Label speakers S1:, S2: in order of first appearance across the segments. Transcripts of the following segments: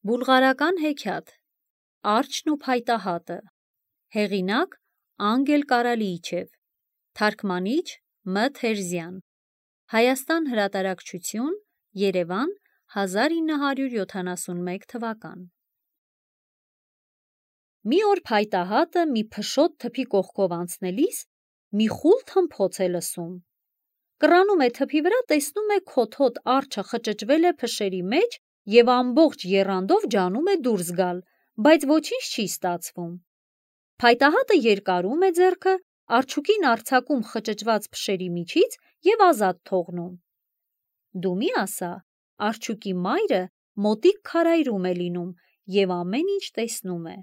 S1: Բուլղարական հեքիաթ Արջն ու փայտահատը Հեղինակ Անգել Կարալիիչև Թարգմանիչ Մ. Թերզյան Հայաստան հրատարակչություն Երևան 1971 թվական Մի օր փայտահատը մի փշոտ թփի կողքով անցնելիս մի խուլ թմփոց է լսում. կռանում է թփի վրա, տեսնում է քոթոտ արջը խճճվել է փշերի մեջ և ամբողջ եռանդով ջանում է դուրս գալ, բայց ոչինչ չի ստացվում: Փայտահատը երկարում է ձեռքը, արջուկին արձակում խճճված փշերի միջից և ազատ թողնում: Դու մի ասա, արջուկի մայրը մոտիկ քարայրում է լինում և ամեն ինչ տեսնում է: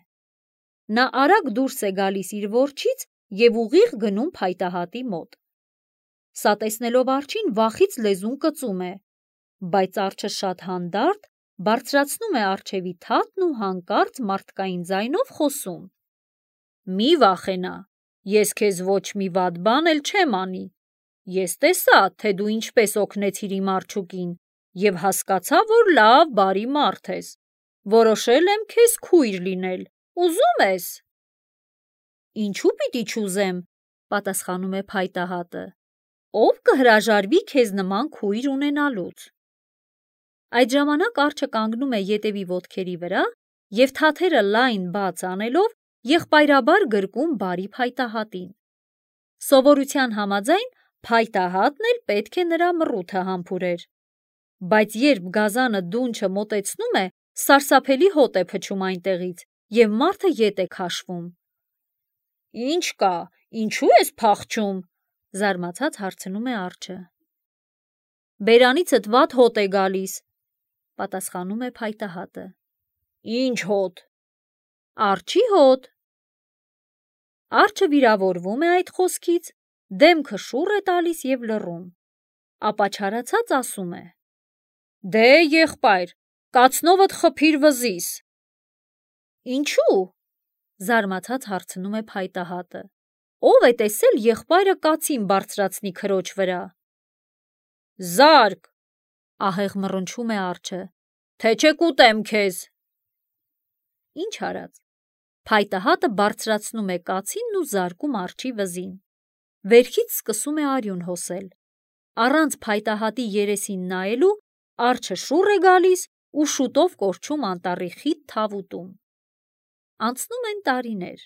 S1: Նա արագ դուրս է գալիս իր որջից և ուղիղ գնում փայտահատի մոտ: Սա տեսնելով արջին վախից լեզուն կծում է, բայց արջը շատ հանդարտ բարձրացնում է առջևի թաթն ու հանկարծ մարդկային ձայնով խոսում. «Մի վախենա, ես քեզ ոչ մի վատ բան էլ չեմ անի: Ես տեսա, թե դու ինչպես օգնեցիր իմ արջուկին և հասկացա, որ լավ բարի մարդ ես: Որոշել եմ քեզ քույր լինել, ուզո՞ւմ ես»: «Ինչու պիտի չուզեմ», պատասխանում է փայտահատը, «ով կհրաժարվի քեզ նման քույր ունենալուց»: Այդ ժամանակ արջը կանգնում է ետևի ոտքերի վրա և թաթերը լայն բաց անելով եղբայրաբար գրկում բարի փայտահատին: Սովորության համաձայն փայտահատն էլ պետք է նրա մռութը համբուրեր: Բայց երբ գազանը դունչը մոտեցնում է, սարսափելի հոտ է փչում այնտեղից և մարդը ետ է քաշվում: «Ինչ կա, ինչու ես փախչում», զարմացած հարցնում է արջը: «Բերանիցդ վատ հոտ է գալիս», պատասխանում է փայտահատը: «Ինչ հոտ»: «Արջի հոտ»: Արջը վիրավորվում է այդ խոսքից, դեմքը շուռ է տալիս և լռում: Ապա չարացած ասում է. «Դե եղբայր, կացնովդ խփիր վզիս»: «Ինչու՞», զարմացած հարցնում է փայտահատը, «ով է տեսել եղբայրը կացին բարձրացնի քրոջ վրա»: «Զա՛րկ», ահեղ մռնչում է արջը, «թե չէ կուտեմ քեզ»: Ինչ արած, փայտահատը բարձրացնում է կացինն ու զարկում արջի վզին: Վերքից սկսում է արյուն հոսել: Առանց փայտահատի երեսին նայելու արջը շուռ է գալիս ու շուտով կորչում անտառի խիտ թավուտում: Անցնում են տարիներ: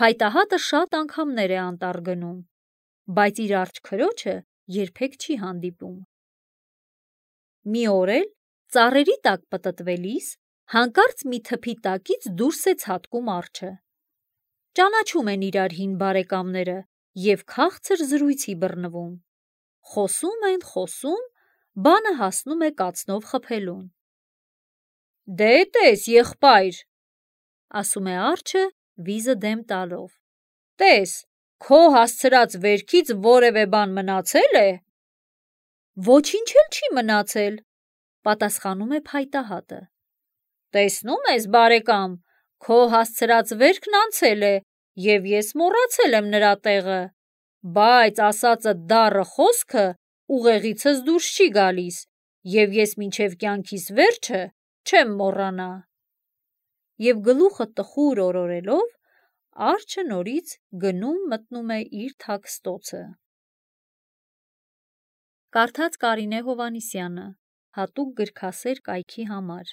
S1: Փայտահատը շատ անգամներ է անտառ գնում, բայց իր արջը քրոջը երբեք չի հանդիպում: Մի օր էլ ծառերի տակ պտտվելիս հանկարծ մի թփի տակից դուրս է ցատկում արջը: Ճանաչում են իրար հին բարեկամները և քաղցր զրույցի բռնվում: Խոսում են, բանը հասնում է կացնով խփելուն: «Դե տես եղբայր», ասում է արջը վիզը դեմ տալով, «տես, քո հասցրած վերքից որևէ բան մնացե՞լ է»: «Ոչինչ էլ չի մնացել», պատասխանում է փայտահատը: «Տեսնում ես, բարեկամ, քո հասցրած վերքն անցել է և ես մոռացել եմ նրա տեղը, բայց ասածդ դառը խոսքը ուղեղիցս դուրս չի գալիս և ես մինչև կյանքիս վերջը չեմ մոռանա»: Եվ գլուխը տխուր օրորելով, արջը նորից գնում-մտնում է իր թաքստոցը: Կարդաց Կարինե Հովհաննիսյանը, հատուկ գրքասեր կայքի համար։